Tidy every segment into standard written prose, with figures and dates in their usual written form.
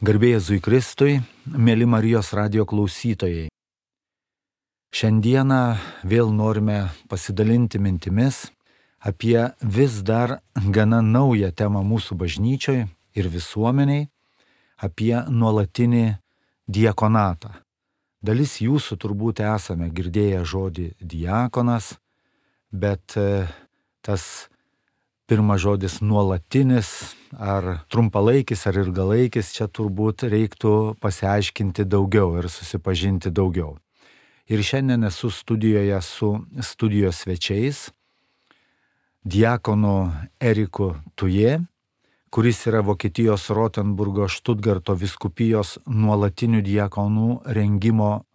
Garbė Jėzui Kristui, mėly Marijos radijo klausytojai. Šiandieną vėl norime pasidalinti mintimis apie vis dar gana naują temą mūsų bažnyčioj ir visuomeniai, apie nuolatinį diakonatą. Dalis jūsų turbūt esame girdėję žodį diakonas, bet tas pirmas žodis nuolatinis, ar trumpalaikis, ar ilgalaikis, čia turbūt reiktų pasiaiškinti daugiau ir susipažinti daugiau. Ir šiandien esu studijoje su studijos svečiais, diakonu Eriku Tuje, kuris yra Vokietijos Rotenburgo Štutgarto vyskupijos nuolatinių diakonų rengimo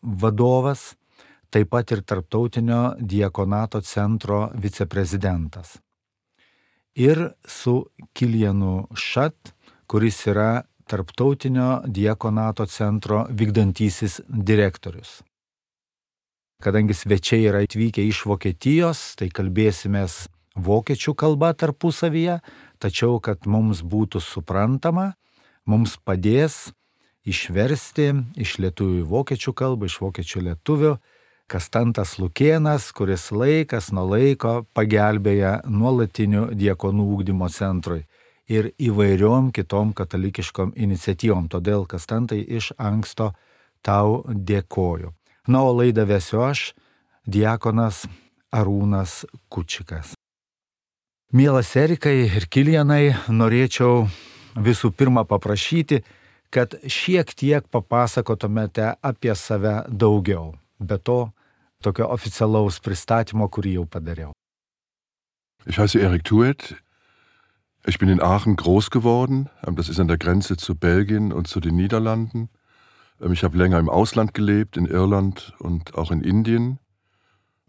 vadovas, taip pat ir Tarptautinio diakonato centro viceprezidentas. Ir su Kilianu Šat, kuris yra Tarptautinio diakonato centro vykdantysis direktorius. Kadangi svečiai yra atvykę iš Vokietijos, tai kalbėsimės vokiečių kalba tarpusavyje, tačiau kad mums būtų suprantama, mums padės išversti iš lietuvių į vokiečių kalbą, iš vokiečių lietuvių, Kastantas Lukėnas, kuris laikas nuo laiko pagelbėja nuolatinių diakonų ugdymo centrui ir įvairiom kitom katalikiškom iniciatyvom. Todėl, Kastantai, iš anksto tau dėkoju. Na, o laidą vesiu aš, diakonas Arūnas Kučikas. Mielas Erikai ir Kilianai, norėčiau visų pirma paprašyti, kad šiek tiek papasakotumėte apie save daugiau. Be to, tokio oficialaus pristatymo, kurį jau padariau. Ich heiße Erik Tuet. Ich bin in Aachen groß geworden. Das ist an der Grenze zu Belgien und zu den Niederlanden. Ich habe länger im Ausland gelebt, in Irland und auch in Indien.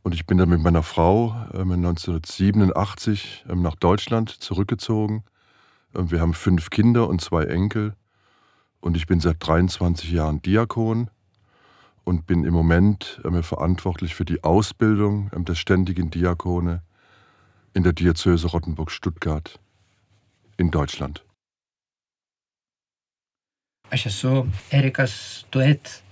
Und ich bin dann mit meiner Frau 1987 nach Deutschland zurückgezogen. Wir haben 5 Kinder und 2 Enkel. Und ich bin seit 23 Jahren Diakon. Und bin im Moment verantwortlich für die Ausbildung der ständigen Diakone in der Diözese Rottenburg-Stuttgart in Deutschland. Aš esu Erikas Tuet,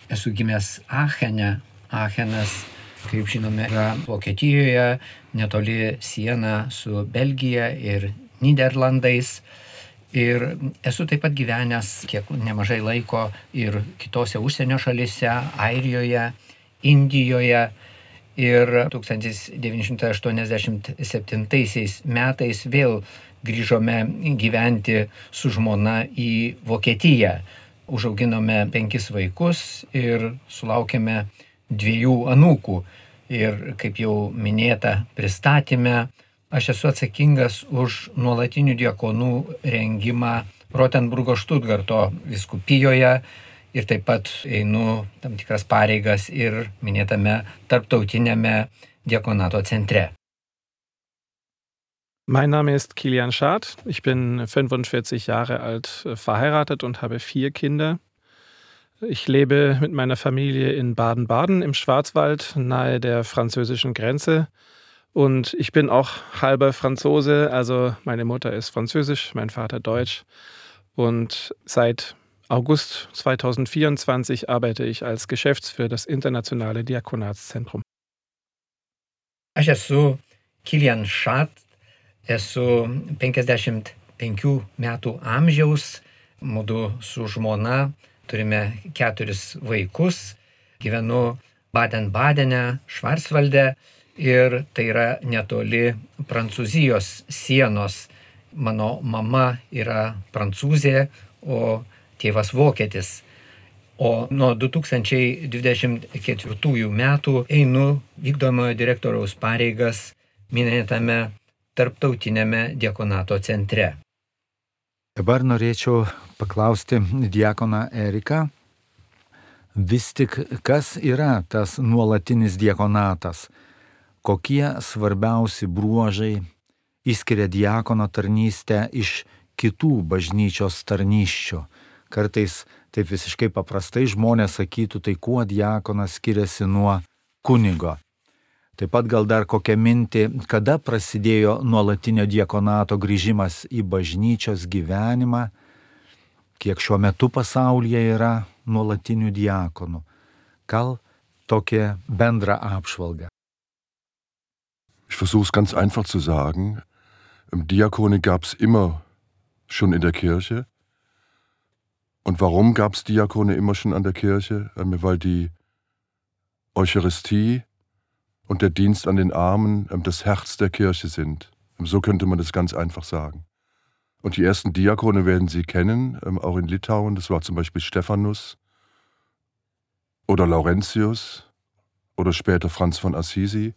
esu gimęs Aachene. Aachenas, kaip žinome, yra Vokietijoje, netoli siena su Belgija ir Niderlandais. Ir esu taip pat gyvenęs kiek nemažai laiko ir kitose užsienio šalyse, Airijoje, Indijoje. Ir 1987 metais vėl grįžome gyventi su žmona į Vokietiją. Užauginome 5 vaikus ir sulaukėme 2 anūkų. Ir kaip jau minėta pristatyme, aš esu atsakingas už nuolatinių diakonų rengimą Rotenburgo Štutgarto vyskupijoje ir taip pat einu tam tikras pareigas ir minėtame Tarptautiniame diakonato centre. Mein Name ist Kilian Schad. Ich bin 45 Jahre alt, verheiratet und habe 4 Kinder. Ich lebe mit meiner Familie in Baden-Baden im Schwarzwald, nahe der französischen Grenze. Und ich bin auch halber Franzose, also meine Mutter ist französisch, mein Vater deutsch. Und seit August 2024 arbeite ich als Geschäftsführer des Internationale Diakonatszentrum. Aš esu Kilian Šat, esu 55 metų amžiaus, mudu su žmona, turime 4 vaikus, gyvenu Baden-Badene, Švarcvalde. Ir tai yra netoli Prancūzijos sienos. Mano mama yra prancūzė, o tėvas vokietis. O nuo 2024 metų einu vykdomojo direktoriaus pareigas minėtame Tarptautiniame diakonato centre. Dabar norėčiau paklausti diakoną Eriką, vis tik kas yra tas nuolatinis diakonatas? Kokie svarbiausi bruožai išskiria diakono tarnystę iš kitų bažnyčios tarnysčių? Kartais taip visiškai paprastai žmonės sakytų, tai kuo diakonas skiriasi nuo kunigo. Taip pat gal dar kokią mintį, kada prasidėjo nuolatinio diakonato grįžimas į bažnyčios gyvenimą kiek šiuo metu pasaulyje yra nuolatinių diakonų. Gal tokia bendra apžvalga. Ich versuche es ganz einfach zu sagen. Diakone gab es immer schon in der Kirche. Und warum gab es Diakone immer schon an der Kirche? Weil die Eucharistie und der Dienst an den Armen das Herz der Kirche sind. So könnte man das ganz einfach sagen. Und die ersten Diakone werden Sie kennen, auch in Litauen. Das war zum Beispiel Stephanus oder Laurentius oder später Franz von Assisi,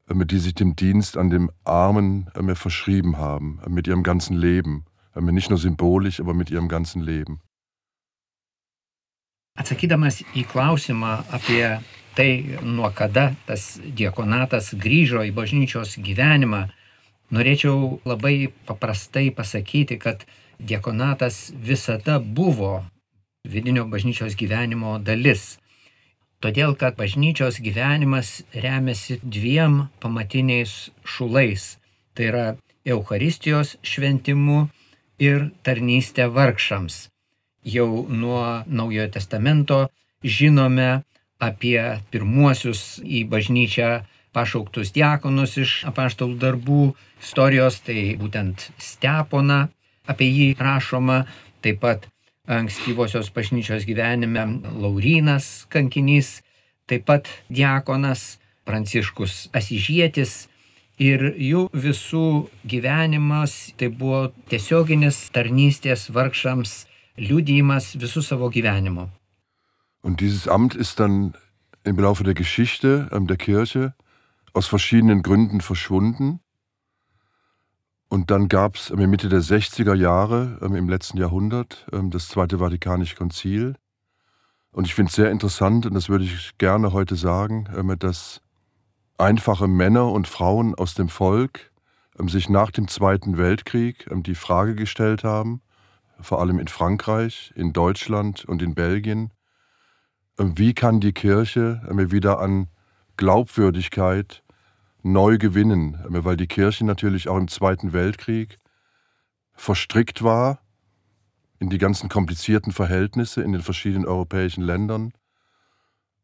die sich dem Dienst an den Armen verschrieben haben, mit ihrem ganzen Leben. Nicht nur symbolisch, aber mit ihrem ganzen Leben. Atsakydamas į klausimą apie tai, nuo kada tas diakonatas grįžo į bažnyčios gyvenimą, norėčiau labai paprastai pasakyti, kad diakonatas visada buvo vidinio bažnyčios gyvenimo dalis. Todėl, kad bažnyčios gyvenimas remiasi dviem pamatiniais šulais. Tai yra Eucharistijos šventimu ir tarnystė vargšams. Jau nuo Naujojo testamento žinome apie pirmuosius į bažnyčią pašauktus diakonus iš apaštalų darbų istorijos, tai būtent Steponą, apie jį rašoma, taip pat ankstyvosios bažnyčios gyvenime Laurynas kankinys, taip pat diakonas Pranciškus Asyžietis, ir jų visų gyvenimas tai buvo tiesioginis tarnystės vargšams liudijimas visų savo gyvenimo. Und dieses Amt ist dann im Laufe der Geschichte der Kirche aus verschiedenen Gründen verschwunden. Und dann gab es Mitte der 60er Jahre im letzten Jahrhundert das Zweite Vatikanische Konzil. Und ich finde es sehr interessant, und das würde ich gerne heute sagen, dass einfache Männer und Frauen aus dem Volk sich nach dem Zweiten Weltkrieg die Frage gestellt haben, vor allem in Frankreich, in Deutschland und in Belgien, wie kann die Kirche wieder an Glaubwürdigkeit neu gewinnen, weil die Kirche natürlich auch im Zweiten Weltkrieg verstrickt war in die ganzen komplizierten Verhältnisse in den verschiedenen europäischen Ländern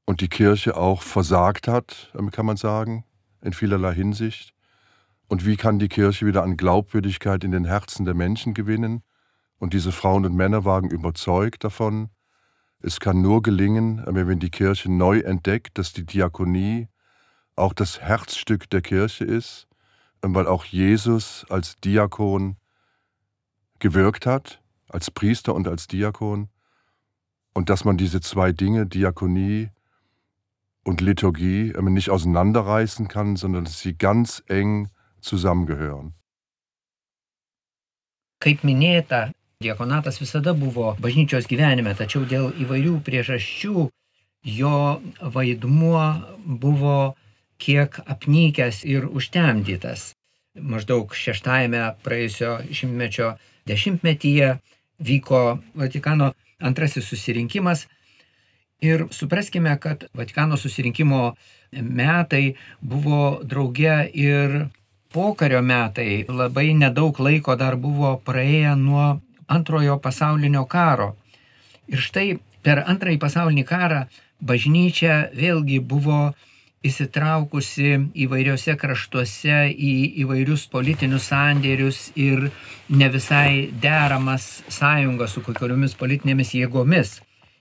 und die Kirche auch versagt hat, kann man sagen, in vielerlei Hinsicht. Und wie kann die Kirche wieder an Glaubwürdigkeit in den Herzen der Menschen gewinnen? Und diese Frauen und Männer waren überzeugt davon, es kann nur gelingen, wenn die Kirche neu entdeckt, dass die Diakonie auch das Herzstück der Kirche ist, weil auch Jesus als Diakon gewirkt hat, als Priester und als Diakon, und dass man diese zwei Dinge, Diakonie und Liturgie, nicht auseinanderreißen kann, sondern dass sie ganz eng zusammengehören. Kaip minėta, diakonatas visada buvo bažnyčios gyvenime, tačiau dėl įvairių priežasčių jo vaidmuo buvo kiek apnykęs ir užtemdytas. Maždaug 6-ame praėjusio šimtmečio dešimtmetyje vyko Vatikano antrasis susirinkimas ir supraskime, kad Vatikano susirinkimo metai buvo drauge ir pokario metai. Labai nedaug laiko dar buvo praėję nuo Antrojo pasaulinio karo. Ir štai per Antrąjį pasaulinį karą bažnyčia vėlgi buvo įsitraukusi įvairiose kraštuose į įvairius politinius sandėrius ir ne visai deramas sąjungas su kokioriomis politinėmis jėgomis.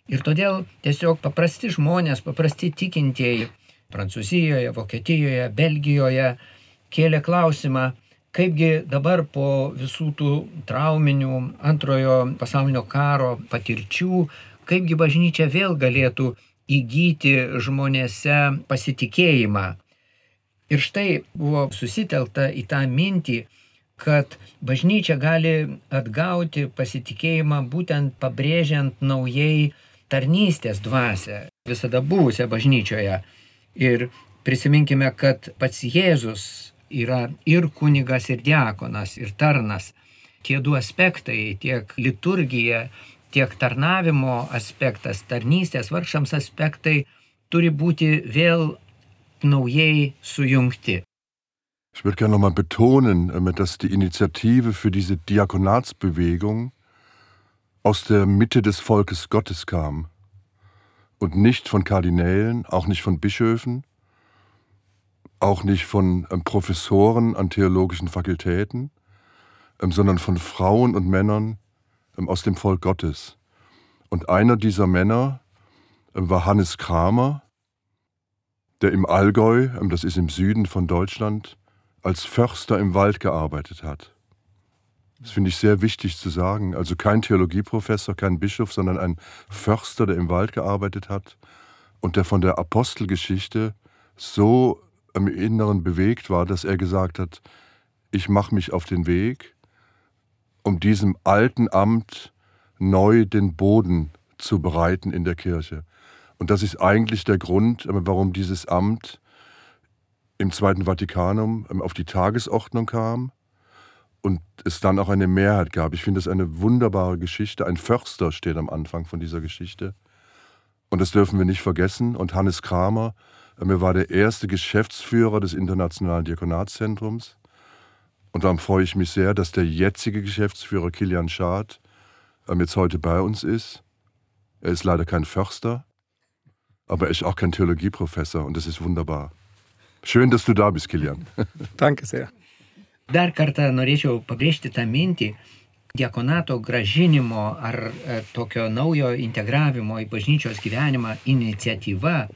Ir todėl tiesiog paprasti žmonės, paprasti tikintieji Prancūzijoje, Vokietijoje, Belgijoje kėlė klausimą, kaipgi dabar po visų tų trauminių Antrojo pasaulinio karo patirčių, kaipgi bažnyčia vėl galėtų įgyti žmonėse pasitikėjimą. Ir štai buvo susitelkta į tą mintį, kad bažnyčia gali atgauti pasitikėjimą būtent pabrėžiant naujai tarnystės dvasią, visada buvusią bažnyčioje. Ir prisiminkime, kad pats Jėzus yra ir kunigas, ir diakonas, ir tarnas. Tie du aspektai, tiek liturgija, tiek tarnavimo aspektas, tarnystės vargšams aspektai turi būti vėl naujai sujungti. Ich würde gerne nochmal betonen, dass die Initiative für diese Diakonatsbewegung aus der Mitte des Volkes Gottes kam und nicht von Kardinälen, auch nicht von Bischöfen, auch nicht von Professoren an theologischen Fakultäten, sondern von Frauen und Männern aus dem Volk Gottes. Und einer dieser Männer war Hannes Kramer, der im Allgäu, das ist im Süden von Deutschland, als Förster im Wald gearbeitet hat. Das finde ich sehr wichtig zu sagen. Also kein Theologieprofessor, kein Bischof, sondern ein Förster, der im Wald gearbeitet hat und der von der Apostelgeschichte so im Inneren bewegt war, dass er gesagt hat, ich mache mich auf den Weg, um diesem alten Amt neu den Boden zu bereiten in der Kirche. Und das ist eigentlich der Grund, warum dieses Amt im Zweiten Vatikanum auf die Tagesordnung kam und es dann auch eine Mehrheit gab. Ich finde das eine wunderbare Geschichte. Ein Förster steht am Anfang von dieser Geschichte. Und das dürfen wir nicht vergessen. Und Hannes Kramer, er war der erste Geschäftsführer des Internationalen Diakonatszentrums. Und darum freue ich mich sehr, dass der jetzige Geschäftsführer Kilian Schad jetzt heute bei uns ist. Er ist leider kein Förster, aber er ist auch kein Theologieprofessor und das ist wunderbar. Schön, dass du da bist, Kilian. Danke sehr. Dar kartą norėčiau pabrėžti tą mintį, diakonato gražinimo ar tokio naujo integravimo į bažnyčios gyvenimą iniciatyva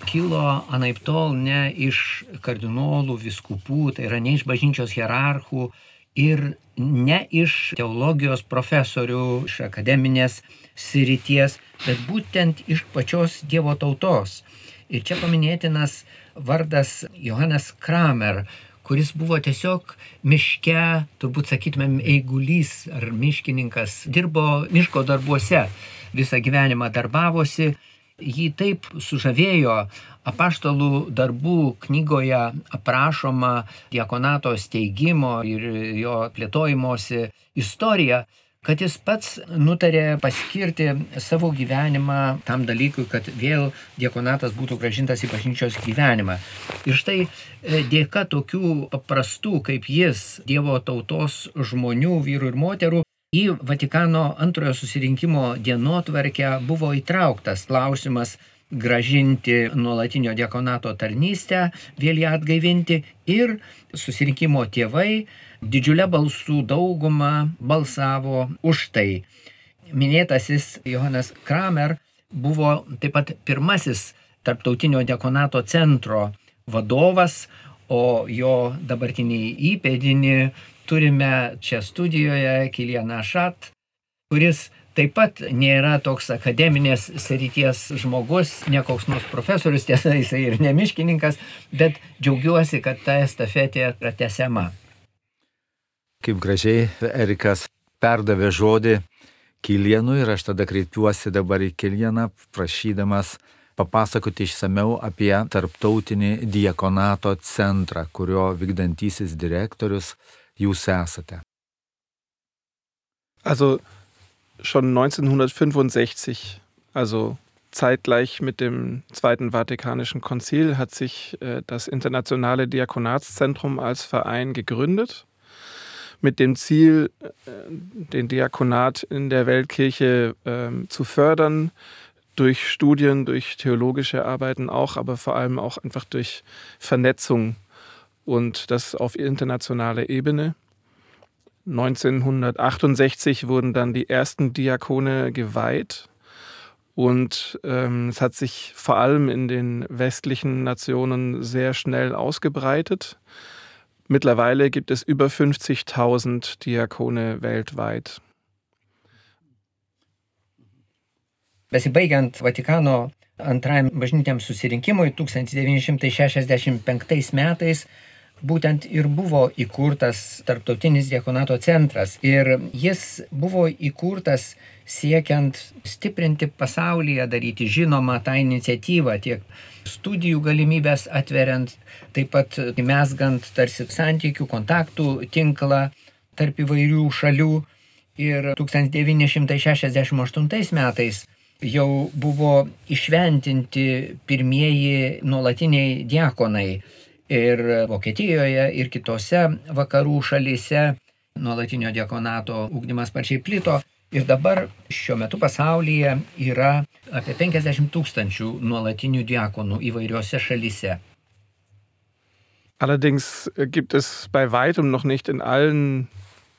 kilo anaiptol ne iš kardinolų, vyskupų, tai yra ne iš bažnyčios hierarchų ir ne iš teologijos profesorių, iš akademinės srities, bet būtent iš pačios Dievo tautos. Ir čia paminėtinas vardas Johannes Kramer, kuris buvo tiesiog miške, turbūt sakytumėm, eigulys ar miškininkas, dirbo miško darbuose, visą gyvenimą darbavosi. Jį taip sužavėjo apaštalų darbų knygoje aprašoma diakonato steigimo ir jo plėtojimosi istorija, kad jis pats nutarė paskirti savo gyvenimą tam dalykui, kad vėl diakonatas būtų grąžintas į bažnyčios gyvenimą. Ir štai dėka tokių paprastų kaip jis, Dievo tautos žmonių, vyrų ir moterų, į Vatikano antrojo susirinkimo dienotvarkę buvo įtrauktas klausimas grąžinti nuolatinio diakonato tarnystę, vėl ją atgaivinti ir susirinkimo tėvai didžiulę balsų daugumą balsavo už tai. Minėtasis Johannes Kramer buvo taip pat pirmasis tarptautinio diakonato centro vadovas, o jo dabartinį įpėdinį turime čia studijoje Kilianą Šat, kuris taip pat nėra toks akademinės srities žmogus, ne koks nors profesorius, tiesa, jisai ir ne miškininkas, bet džiaugiuosi, kad ta estafetė pratęsiama. Kaip gražiai Erikas perdavė žodį Kilianui ir aš tada kreipiuosi dabar į Kilianą, prašydamas papasakoti išsamiau apie tarptautinį diakonato centrą, kurio vykdantysis direktorius jūs esate. Also schon 1965, also zeitgleich mit dem Zweiten Vatikanischen Konzil, hat sich das Internationale Diakonatszentrum als Verein gegründet, mit dem Ziel, den Diakonat in der Weltkirche zu fördern, durch Studien, durch theologische Arbeiten auch, aber vor allem auch einfach durch Vernetzung und das auf internationaler Ebene. 1968 wurden dann die ersten Diakone geweiht und es hat sich vor allem in den westlichen Nationen sehr schnell ausgebreitet. Mittlerweile gibt es über 50.000 Diakone weltweit. Besibaigiant Vatikano antrajam bažnytiniam susirinkimui 1965 metais būtent ir buvo įkurtas Tarptautinis diakonato centras. Ir jis buvo įkurtas siekiant stiprinti pasaulyje, daryti žinomą tą iniciatyvą, tiek studijų galimybės atveriant, taip pat mezgant tarsi santykių, kontaktų tinklą tarp įvairių šalių. Ir 1968 metais jau buvo išventinti pirmieji nuolatiniai diakonai. Ir Vokietijoje, ir kitose vakarų šalyse nuolatinio diakonato ugdymas sparčiai plito. Ir dabar šiuo metu pasaulyje yra apie 50 000 nuolatinių diakonų įvairiose šalyse. Allerdings gibt es bei weitem noch nicht in allen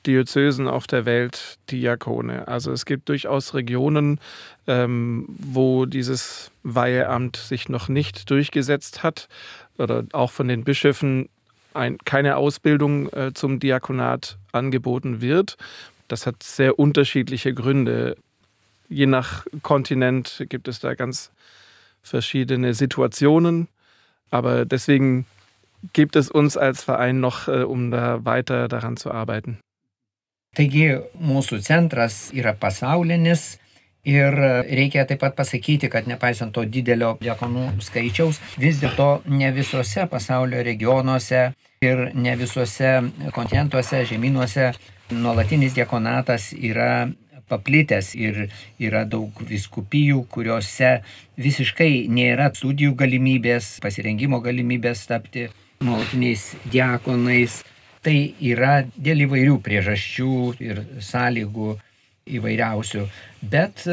Diözesen auf der Welt Diakone. Also es gibt durchaus Regionen, wo dieses Weiheamt sich noch nicht durchgesetzt hat oder auch von den Bischöfen keine Ausbildung zum Diakonat angeboten wird. Das hat sehr unterschiedliche Gründe. Je nach Kontinent gibt es da ganz verschiedene Situationen, aber deswegen gibt es uns als Verein noch, um da weiter daran zu arbeiten. Taigi mūsų centras yra pasaulinis ir reikia taip pat pasakyti, kad nepaisant to didelio diakonų skaičiaus, vis dėlto ne visose pasaulio regionuose ir ne visose kontinentuose, žemynuose nuolatinis diakonatas yra paplitęs ir yra daug vyskupijų, kuriuose visiškai nėra studijų galimybės, pasirengimo galimybės tapti nuolatiniais diakonais. Tai yra dėl įvairių priežasčių ir sąlygų įvairiausių, bet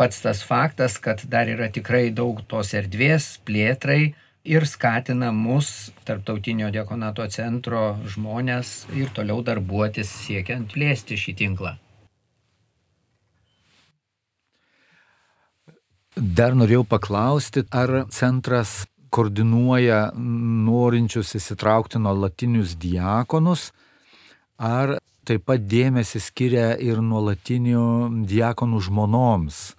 pats tas faktas, kad dar yra tikrai daug tos erdvės plėtrai ir skatina mus, Tarptautinio diakonato centro žmonės, ir toliau darbuotis siekiant plėsti šį tinklą. Dar norėjau paklausti, ar centras koordinuoja norinčius įsitraukti nuolatinius diakonus, ar taip pat dėmesį skiria ir nuolatinių diakonų žmonoms.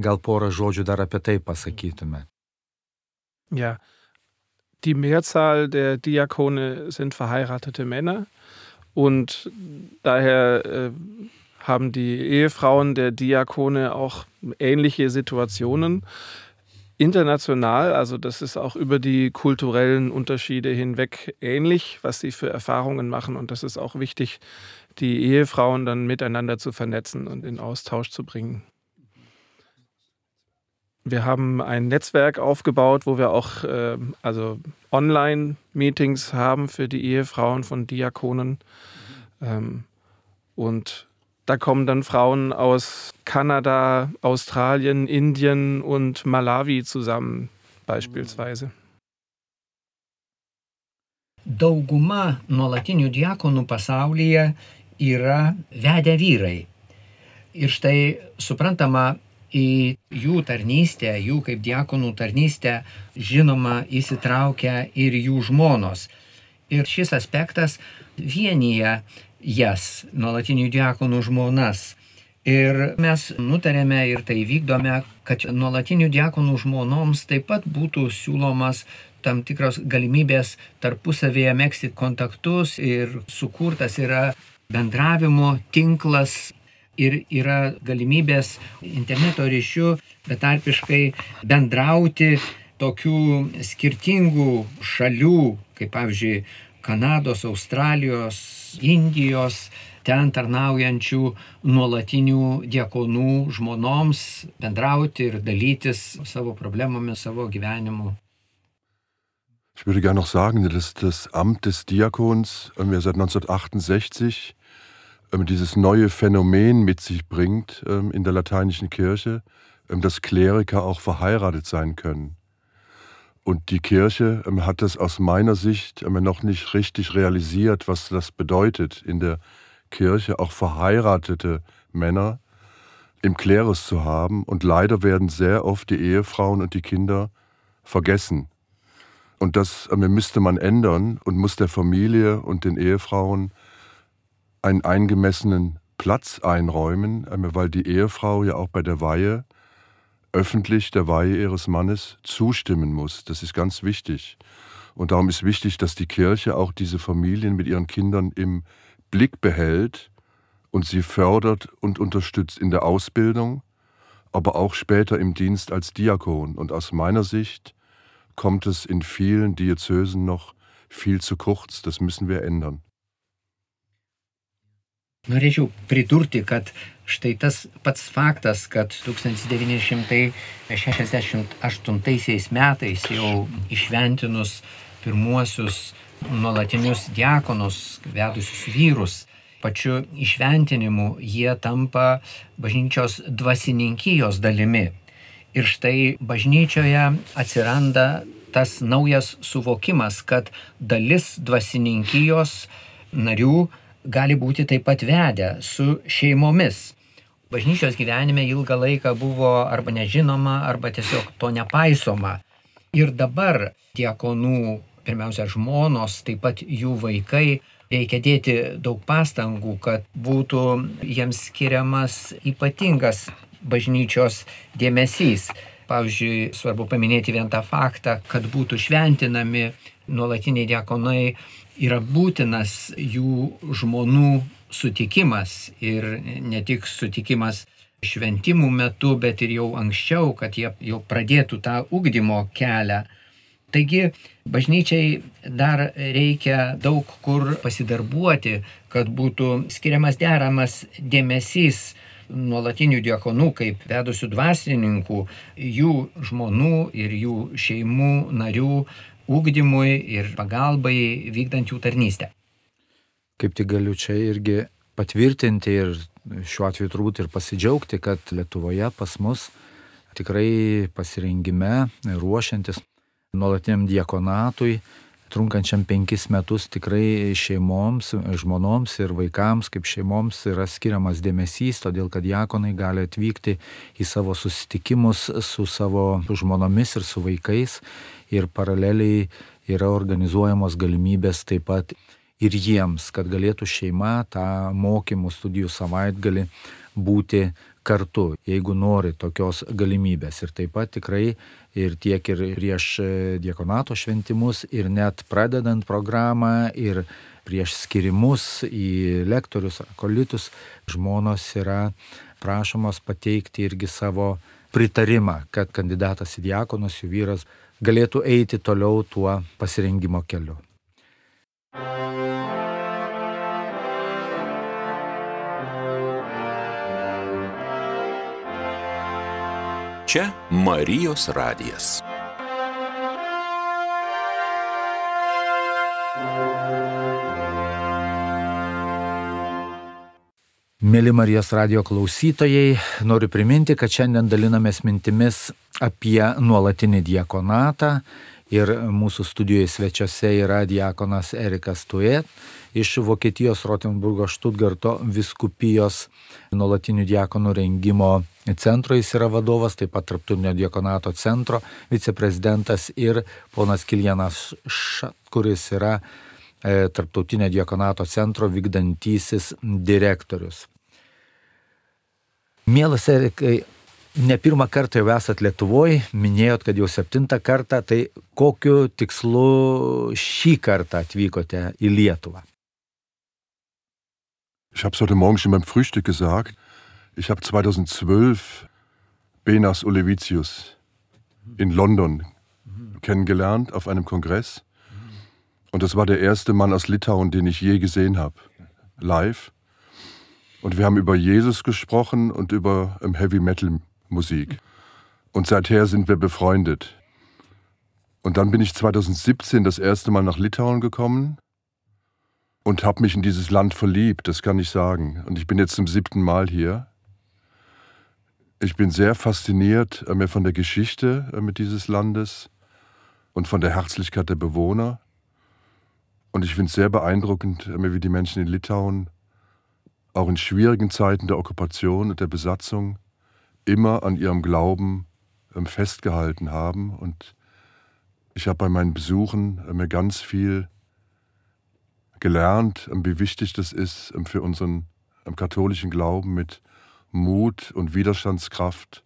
Gal porą žodžių dar apie tai pasakytume. Ja, die Mehrzahl der Diakone sind verheiratete Männer und daher haben die Ehefrauen der Diakone auch ähnliche Situationen. International, also das ist auch über die kulturellen Unterschiede hinweg ähnlich, was sie für Erfahrungen machen. Und das ist auch wichtig, die Ehefrauen dann miteinander zu vernetzen und in Austausch zu bringen. Wir haben ein Netzwerk aufgebaut, wo wir auch Online-Meetings haben für die Ehefrauen von Diakonen. Und da kommen dann Frauen aus Kanada, Australien, Indien und Malawi zusammen, beispielsweise. Dauguma nuolatinių diakonų pasaulyje yra vedę vyrai. Ir štai suprantama, į jų tarnystę, jų kaip diakonų tarnystę, žinoma, įsitraukia ir jų žmonos. Ir šis aspektas vienyje jas, nuolatinių diakonų žmonas. Ir mes nutarėme ir tai vykdome, kad nuolatinių diakonų žmonoms taip pat būtų siūlomas tam tikros galimybės tarpusavėje megzti kontaktus ir sukurtas yra bendravimo tinklas ir yra galimybės interneto ryšiu betarpiškai bendrauti tokių skirtingų šalių, kaip pavyzdžiui Kanados, Australijos, Indijos, ten tarnaujančių nuolatinių diakonų žmonoms bendrauti ir dalytis savo problemomis, savo gyvenimu. Ich würde gerne noch sagen, dass das Amt des Diakons seit 1968 dieses neue Phänomen mit sich bringt in der lateinischen Kirche, dass Kleriker auch verheiratet sein können. Und die Kirche hat das aus meiner Sicht noch nicht richtig realisiert, was das bedeutet, in der Kirche auch verheiratete Männer im Klerus zu haben. Und leider werden sehr oft die Ehefrauen und die Kinder vergessen. Und das müsste man ändern und muss der Familie und den Ehefrauen einen eingemessenen Platz einräumen, weil die Ehefrau ja auch bei der Weihe öffentlich der Weihe ihres Mannes zustimmen muss. Das ist ganz wichtig. Und darum ist wichtig, dass die Kirche auch diese Familien mit ihren Kindern im Blick behält und sie fördert und unterstützt in der Ausbildung, aber auch später im Dienst als Diakon. Und aus meiner Sicht kommt es in vielen Diözesen noch viel zu kurz. Das müssen wir ändern. Norėčiau pridurti, kad štai tas pats faktas, kad 1968 metais jau išventinus pirmuosius nuolatinius diakonus, vedusius vyrus pačiu įšventinimu jie tampa bažnyčios dvasininkijos dalimi. Ir štai bažnyčioje atsiranda tas naujas suvokimas, kad dalis dvasininkijos narių gali būti taip pat vedę su šeimomis. Bažnyčios gyvenime ilgą laiką buvo arba nežinoma, arba tiesiog to nepaisoma. Ir dabar diakonų, pirmiausia žmonos, taip pat jų vaikai, reikia dėti daug pastangų, kad būtų jiems skiriamas ypatingas bažnyčios dėmesys. Pavyzdžiui, svarbu paminėti vien tą faktą, kad būtų šventinami nuolatiniai diakonai, yra būtinas jų žmonų sutikimas ir ne tik sutikimas šventimų metu, bet ir jau anksčiau, kad jie jau pradėtų tą ugdymo kelią. Taigi bažnyčiai dar reikia daug kur pasidarbuoti, kad būtų skiriamas deramas dėmesys nuolatinių diakonų kaip vedusių dvasininkų, jų žmonų ir jų šeimų narių ugdymui ir pagalbai vykdant jų tarnystę. Kaip tik galiu čia irgi patvirtinti ir šiuo atveju turbūt ir pasidžiaugti, kad Lietuvoje pas mus tikrai pasirengime, ruošiantis nuolatiniam diakonatui, trunkančiam 5 metus, tikrai šeimoms, žmonoms ir vaikams kaip šeimoms yra skiriamas dėmesys, todėl kad diakonai gali atvykti į savo susitikimus su savo žmonomis ir su vaikais ir paraleliai yra organizuojamos galimybės taip pat ir jiems, kad galėtų šeima tą mokymų studijų savaitgalį būti kartu, jeigu nori tokios galimybės. Ir taip pat tikrai ir tiek ir prieš diakonato šventimus, ir net pradedant programą, ir prieš skirimus į lektorius ar akolitus, žmonos yra prašomos pateikti irgi savo pritarimą, kad kandidatas į diakonus, jų vyras, galėtų eiti toliau tuo pasirengimo keliu. Čia Marijos radijas. Mėly Marijos radijo klausytojai, noriu priminti, kad šiandien dalinamės mintimis apie nuolatinį diakonatą ir mūsų studijoje svečiuose yra diakonas Erikas Tuet iš Vokietijos Rotenburgo Štutgarto vyskupijos nuolatinių diakonų rengimo centro, jis yra vadovas, taip pat Tarptautinio diakonato centro viceprezidentas, ir ponas Kiljanas Šat, kuris yra Tarptautinio diakonato centro vykdantysis direktorius. Mielas Erikai, ne pirmą kartą jau esat Lietuvoje, minėjot, kad jau 7. kartą, tai kokiu tikslu šį kartą atvykote į Lietuvą? Ich habe es heute Morgen schon beim Frühstück gesagt. Ich habe 2012 Benas Olevicius in London kennengelernt auf einem Kongress. Und das war der erste Mann aus Litauen, den ich je gesehen habe, live. Und wir haben über Jesus gesprochen und über Heavy-Metal-Musik. Und seither sind wir befreundet. Und dann bin ich 2017 das erste Mal nach Litauen gekommen und habe mich in dieses Land verliebt, das kann ich sagen. Und ich bin jetzt zum 7. Mal hier. Ich bin sehr fasziniert von der Geschichte dieses Landes und von der Herzlichkeit der Bewohner. Und ich finde es sehr beeindruckend, wie die Menschen in Litauen auch in schwierigen Zeiten der Okkupation und der Besatzung immer an ihrem Glauben festgehalten haben. Und ich habe bei meinen Besuchen mir ganz viel gelernt, wie wichtig das ist, für unseren katholischen Glauben mit Mut und Widerstandskraft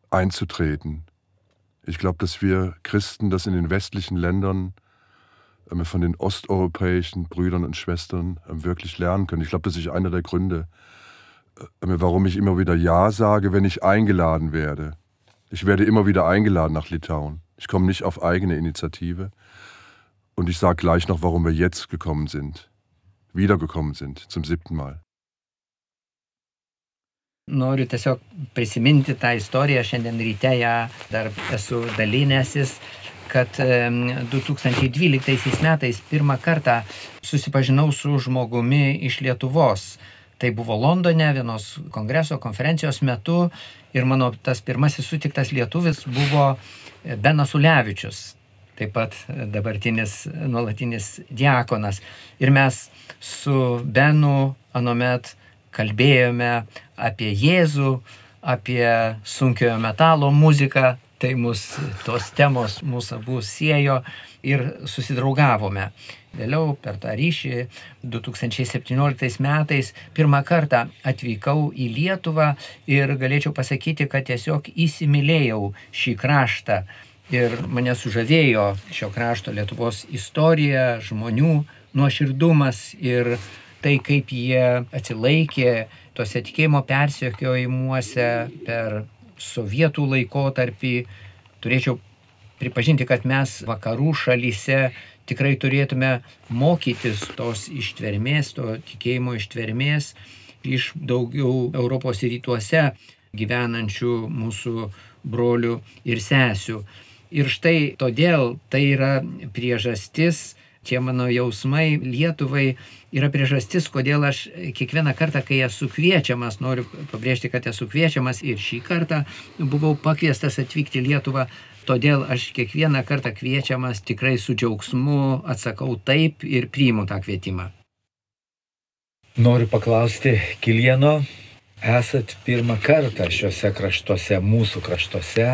einzutreten. Ich glaube, dass wir Christen das in den westlichen Ländern von den osteuropäischen Brüdern und Schwestern wirklich lernen können. Ich glaube, das ist einer der Gründe, warum ich immer wieder Ja sage, wenn ich eingeladen werde. Ich werde immer wieder eingeladen nach Litauen. Ich komme nicht auf eigene Initiative. Und ich sage gleich noch, warum wir jetzt wiedergekommen sind, zum 7. Mal. Noriu tiesiog prisiminti tą istoriją, šiandien ryte ją dar esu dalinęsis, kad 2012 metais pirmą kartą susipažinau su žmogumi iš Lietuvos. Tai buvo Londone vienos konferencijos metu ir mano tas pirmasis sutiktas lietuvis buvo Benas Ulevičius, taip pat dabartinis nuolatinis diakonas. Ir mes su Benu anuomet kalbėjome apie Jėzų, apie sunkiojo metalo muziką, tai tos temos mūsų abu siejo ir susidraugavome. Vėliau per tą ryšį 2017 metais pirmą kartą atvykau į Lietuvą ir galėčiau pasakyti, kad tiesiog įsimylėjau šį kraštą ir mane sužavėjo šio krašto Lietuvos istorija, žmonių nuoširdumas ir tai, kaip jie atsilaikė tose tikėjimo persekiojimuose per sovietų laikotarpį. Turėčiau pripažinti, kad mes vakarų šalyse tikrai turėtume mokytis tos ištvermės, to tikėjimo ištvermės iš daugiau Europos rytuose gyvenančių mūsų brolių ir sesių. Ir štai todėl tai yra priežastis, tie mano jausmai Lietuvai yra priežastis, kodėl aš kiekvieną kartą, kai esu kviečiamas, noriu pabrėžti, kad esu kviečiamas ir šį kartą buvau pakviestas atvykti į Lietuvą, todėl aš kiekvieną kartą kviečiamas tikrai su džiaugsmu atsakau taip ir priimu tą kvietimą. Noriu paklausti Kilieno, esat pirmą kartą šiuose kraštuose, mūsų kraštuose,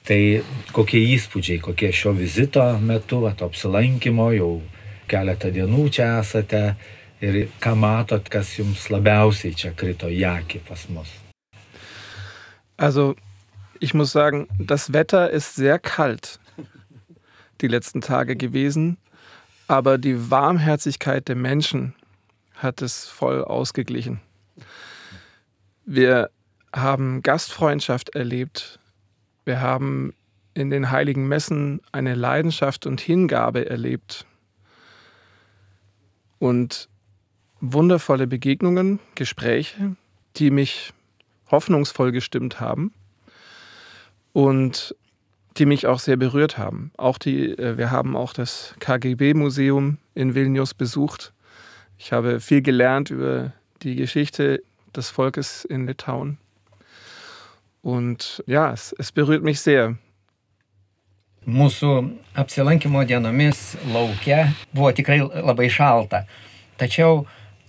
tai kokie įspūdžiai, kokie šio vizito metu, apsilankimo, jau keletą dienų čia esate ir ką matot, kas jums labiausiai čia krito į akį pas mus? Also, ich muss sagen, das Wetter ist sehr kalt die letzten Tage gewesen, aber die Warmherzigkeit der Menschen hat es voll ausgeglichen. Wir haben Gastfreundschaft erlebt. Wir haben in den heiligen Messen eine Leidenschaft und Hingabe erlebt. Und wundervolle Begegnungen, Gespräche, die mich hoffnungsvoll gestimmt haben und die mich auch sehr berührt haben. Wir haben auch das KGB-Museum in Vilnius besucht. Ich habe viel gelernt über die Geschichte des Volkes in Litauen. Und ja, es berührt mich sehr. Mūsų apsilankimo dienomis lauke buvo tikrai labai šalta. Tačiau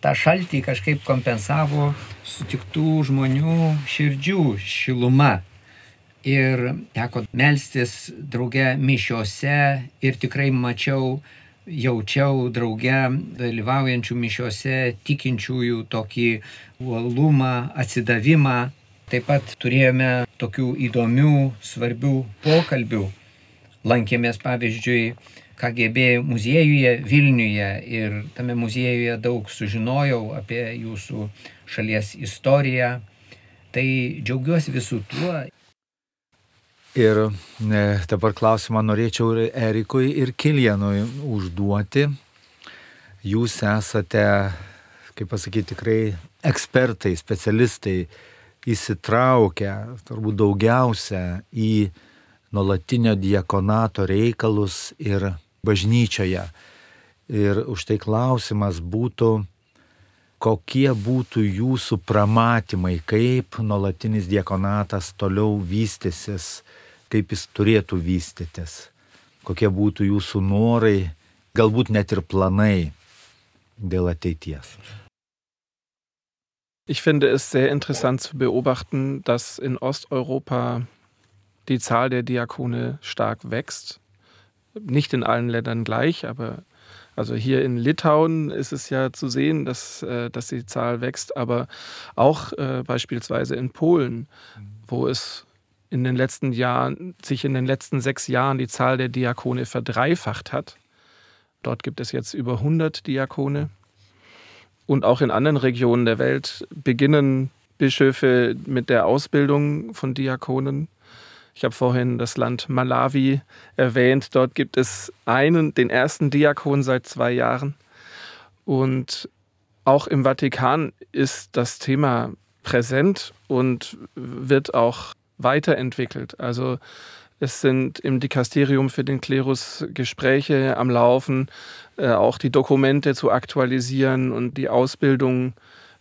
tą šaltį kažkaip kompensavo sutiktų žmonių širdžių šiluma. Ir teko melstis drauge mišiose ir tikrai jaučiau drauge dalyvaujančių mišiose tikinčiųjų tokį uolumą, atsidavimą. Taip pat turėjome tokių įdomių, svarbių pokalbių. Lankėmės, pavyzdžiui, KGB muziejuje Vilniuje ir tame muziejuje daug sužinojau apie jūsų šalies istoriją. Tai džiaugiuosi visų tuo. Ir dabar klausimą norėčiau ir Erikui, ir Kilienui užduoti. Jūs esate, kaip pasakyti, tikrai ekspertai, specialistai, įsitraukę turbūt daugiausia į nuolatinio diakonato reikalus ir bažnyčioje. Ir už tai klausimas būtų, kokie būtų jūsų pramatymai, kaip nuolatinis diakonatas toliau vystysis, kaip jis turėtų vystytis, kokie būtų jūsų norai, galbūt net ir planai dėl ateities. Ich finde es sehr interessant zu beobachten, dass in Osteuropa die Zahl der Diakone stark wächst. Nicht in allen Ländern gleich, aber also hier in Litauen ist es ja zu sehen, dass die Zahl wächst, aber auch beispielsweise in Polen, wo es sich in den letzten 6 Jahren die Zahl der Diakone verdreifacht hat. Dort gibt es jetzt über 100 Diakone. Und auch in anderen Regionen der Welt beginnen Bischöfe mit der Ausbildung von Diakonen. Ich habe vorhin das Land Malawi erwähnt. Dort gibt es den ersten Diakon seit 2 Jahren. Und auch im Vatikan ist das Thema präsent und wird auch weiterentwickelt. Also Es sind im Dikasterium für den Klerus Gespräche am Laufen, auch die Dokumente zu aktualisieren und die Ausbildung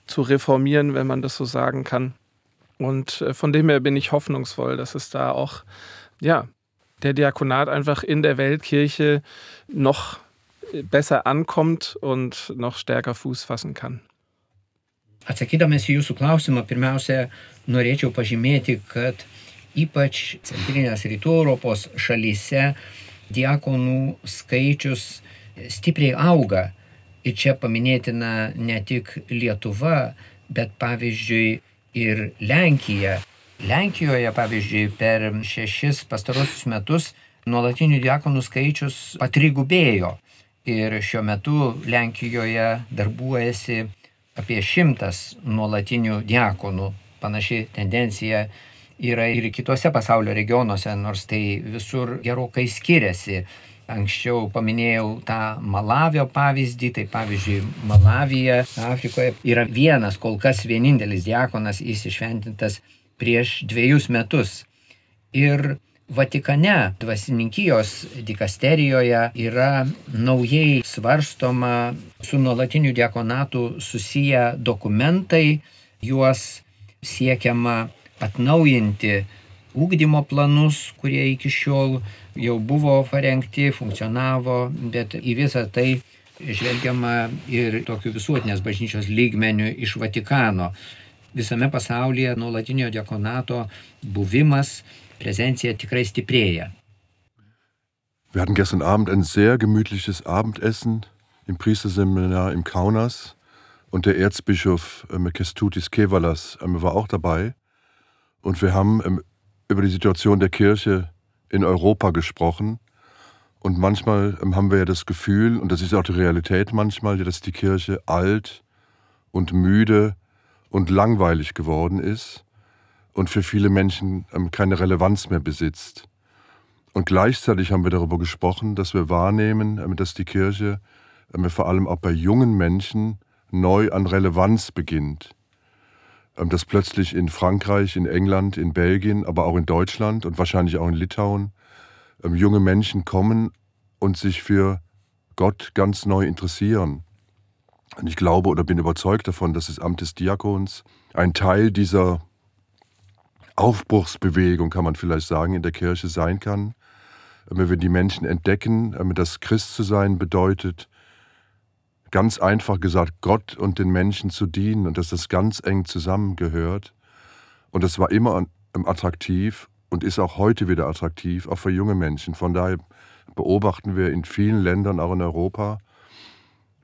zu reformieren, wenn man das so sagen kann. Und von dem her bin ich hoffnungsvoll, dass es da auch, der Diakonat einfach in der Weltkirche noch besser ankommt und noch stärker Fuß fassen kann. Atsakydamas į jūsų klausimą, pirmiausia, norėčiau pažymėti, kad ypač centrinės rytų Europos šalyse diakonų skaičius stipriai auga. Ir čia paminėtina ne tik Lietuva, bet pavyzdžiui ir Lenkija. Lenkijoje, pavyzdžiui, per 6 pastarosius metus nuolatinių diakonų skaičius patrigubėjo. Ir šiuo metu Lenkijoje darbuojasi apie 100 nuolatinių diakonų. Panaši tendencija yra ir kitose pasaulio regionuose, nors tai visur gerokai skiriasi. Anksčiau paminėjau tą Malavio pavyzdį, tai pavyzdžiui Malavija, Afrikoje yra vienas, kol kas vienintelis diakonas įsišventintas prieš 2 metus. Ir Vatikane dvasininkijos dikasterijoje yra naujai svarstoma su nuolatiniu diakonatu susiję dokumentai, juos siekiama atnaujinti ugdymo planus, kurie iki šiol jau buvo parengti, funkcionavo, bet į visą tai žvelgiama ir tokiu visuotinės bažnyčios lygmeniu iš Vatikano. Visame pasaulyje nuolatinio diakonato buvimas, Präsentia tikrai stiprėja. Wir hatten gestern Abend ein sehr gemütliches Abendessen im Priesterseminar im Kaunas und der Erzbischof Kestutis Kevalas war auch dabei und wir haben über die Situation der Kirche in Europa gesprochen und manchmal haben wir ja das Gefühl, und das ist auch die Realität manchmal, dass die Kirche alt und müde und langweilig geworden ist und für viele Menschen keine Relevanz mehr besitzt. Und gleichzeitig haben wir darüber gesprochen, dass wir wahrnehmen, dass die Kirche vor allem auch bei jungen Menschen neu an Relevanz beginnt. Dass plötzlich in Frankreich, in England, in Belgien, aber auch in Deutschland und wahrscheinlich auch in Litauen junge Menschen kommen und sich für Gott ganz neu interessieren. Und ich glaube oder bin überzeugt davon, dass das Amt des Diakons ein Teil dieser Aufbruchsbewegung, kann man vielleicht sagen, in der Kirche sein kann. Wenn die Menschen entdecken, dass Christ zu sein bedeutet, ganz einfach gesagt, Gott und den Menschen zu dienen und dass das ganz eng zusammengehört. Und das war immer attraktiv und ist auch heute wieder attraktiv, auch für junge Menschen. Von daher beobachten wir in vielen Ländern, auch in Europa,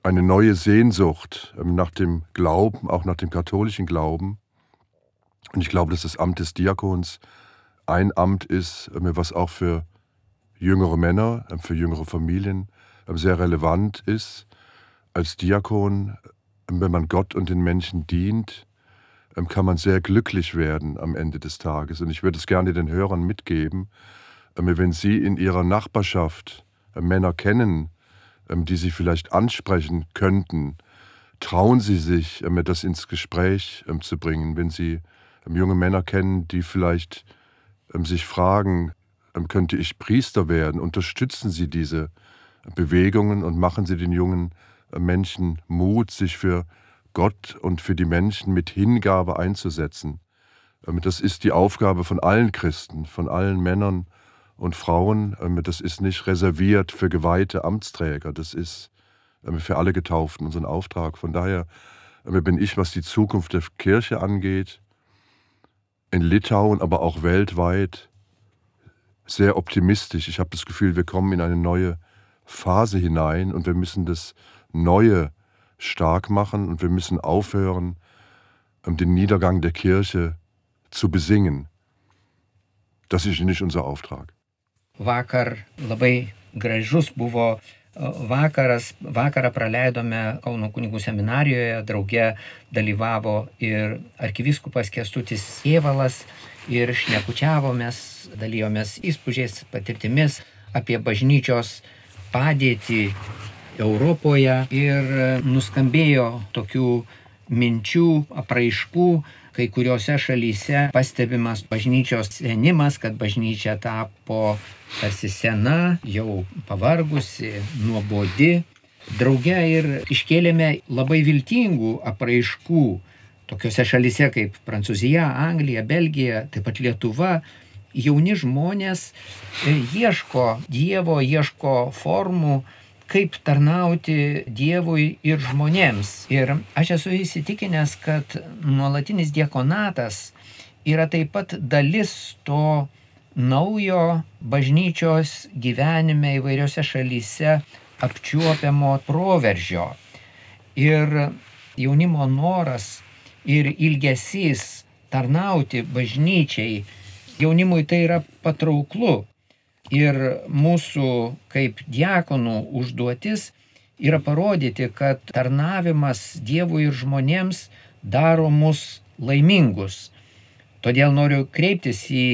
eine neue Sehnsucht nach dem Glauben, auch nach dem katholischen Glauben. Und ich glaube, dass das Amt des Diakons ein Amt ist, was auch für jüngere Männer, für jüngere Familien sehr relevant ist. Als Diakon, wenn man Gott und den Menschen dient, kann man sehr glücklich werden am Ende des Tages. Und ich würde es gerne den Hörern mitgeben, wenn Sie in Ihrer Nachbarschaft Männer kennen, die Sie vielleicht ansprechen könnten, trauen Sie sich, das ins Gespräch zu bringen. Wenn Sie junge Männer kennen, die vielleicht sich fragen, könnte ich Priester werden, unterstützen Sie diese Bewegungen und machen Sie den jungen Menschen Mut, sich für Gott und für die Menschen mit Hingabe einzusetzen. Das ist die Aufgabe von allen Christen, von allen Männern und Frauen. Das ist nicht reserviert für geweihte Amtsträger, das ist für alle Getauften unser Auftrag. Von daher bin ich, was die Zukunft der Kirche angeht, in Litauen, aber auch weltweit sehr optimistisch. Ich habe das Gefühl, wir kommen in eine neue Phase hinein und wir müssen das Neue stark machen und wir müssen aufhören, den Niedergang der Kirche zu besingen. Das ist nicht unser Auftrag. Vakar labai gražus buvo vakaras. Vakarą praleidome Kauno kunigų seminarijoje, drauge dalyvavo ir arkivyskupas Kestutis Kėvalas ir šnekučiavomės, dalijomės įspūdžiais, patirtimis apie bažnyčios padėtį Europoje ir nuskambėjo tokių minčių, apraiškų. Kai kuriuose šalyse pastebimas bažnyčios senimas, kad bažnyčia tapo tarsi sena, jau pavargusi, nuobodi. Drauge ir iškėlėme labai viltingų apraiškų. Tokiose šalyse kaip Prancūzija, Anglija, Belgija, taip pat Lietuva. Jauni žmonės ieško Dievo, ieško formų, kaip tarnauti Dievui ir žmonėms. Ir aš esu įsitikinęs, kad nuolatinis diakonatas yra taip pat dalis to naujo bažnyčios gyvenime įvairiose šalyse apčiuopiamo proveržio. Ir jaunimo noras ir ilgesys tarnauti bažnyčiai, jaunimui tai yra patrauklu. Ir mūsų kaip diakonų užduotis yra parodyti, kad tarnavimas Dievui ir žmonėms daro mus laimingus. Todėl noriu kreiptis į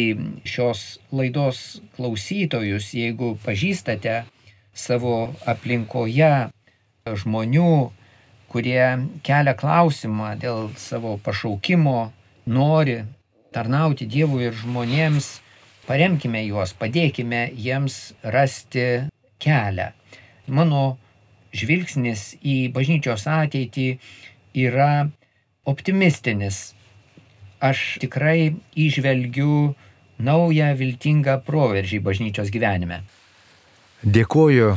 šios laidos klausytojus, jeigu pažįstate savo aplinkoje žmonių, kurie kelia klausimą dėl savo pašaukimo, nori tarnauti Dievui ir žmonėms, paremkime juos, padėkime jiems rasti kelią. Mano žvilgsnis į bažnyčios ateitį yra optimistinis. Aš tikrai įžvelgiu naują viltingą proveržį bažnyčios gyvenime. Dėkoju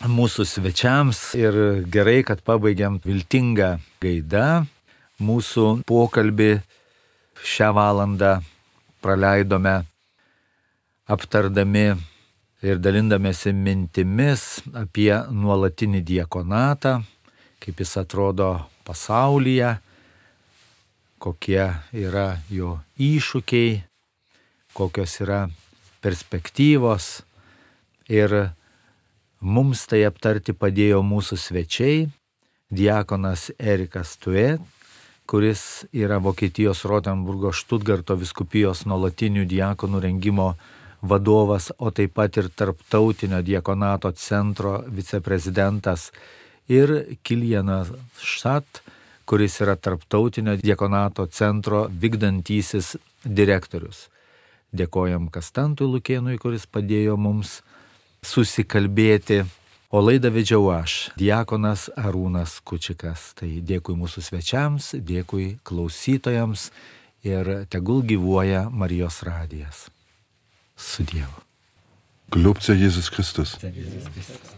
mūsų svečiams ir gerai, kad pabaigiam viltingą gaidą. Mūsų pokalbį šią valandą praleidome aptardami ir dalindamėsi mintimis apie nuolatinį diakonatą, kaip jis atrodo pasaulyje, kokie yra jo iššūkiai, kokios yra perspektyvos. Ir mums tai aptarti padėjo mūsų svečiai, diakonas Erikas Tuet, kuris yra Vokietijos Rotenburgo Štutgarto vyskupijos nuolatinių diakonų rengimo vadovas, o taip pat ir Tarptautinio diakonato centro viceprezidentas, ir Kilianas Šat, kuris yra Tarptautinio diakonato centro vykdantysis direktorius. Dėkojam Kastantui Lukėnui, kuris padėjo mums susikalbėti, o laidą vedžiau aš, diakonas Arūnas Kučikas. Tai dėkui mūsų svečiams, dėkui klausytojams ir tegul gyvuoja Marijos radijas. Su Dievu. Gelobt sei Jesus Christus.